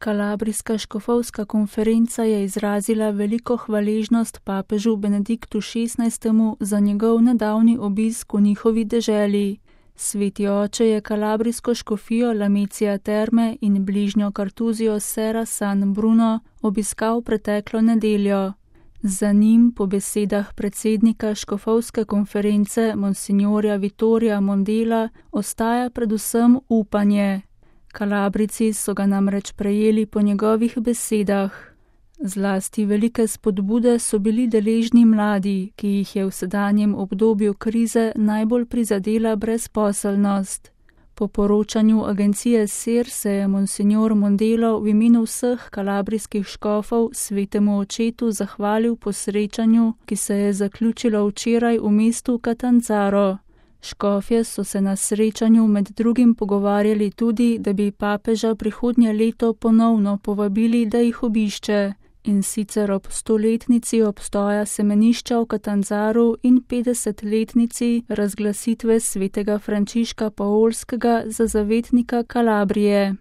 Kalabrijska škofovska konferenca je izrazila veliko hvaležnost papežu Benediktu XVI. Za njegov nedavni obisk v njihovi deželi. Sveti oče je kalabrijsko škofijo Lamezia Terme in bližnjo Kartuzijo Serra San Bruno obiskal preteklo nedeljo. Za njim, po besedah predsednika škofovske konference monsignorja Vittorija Mondela, ostaja predvsem upanje. Kalabrijci so ga namreč prejeli po njegovih besedah. Zlasti velike spodbude so bili deležni mladi, ki jih je v sedanjem obdobju krize najbolj prizadela brezposelnost. Po poročanju agencije SER se je monsignor Mondelo v imenu vseh kalabrijskih škofov svetemu očetu zahvalil po srečanju, ki se je zaključilo včeraj v mestu Catanzaro. Škofje so se na srečanju med drugim pogovarjali tudi, da bi papeža prihodnje leto ponovno povabili, da jih obišče, in sicer ob 100-letnici obstoja semenišča v Catanzaru in 50-letnici razglasitve svetega Frančiška Paolskega za zavetnika Kalabrije.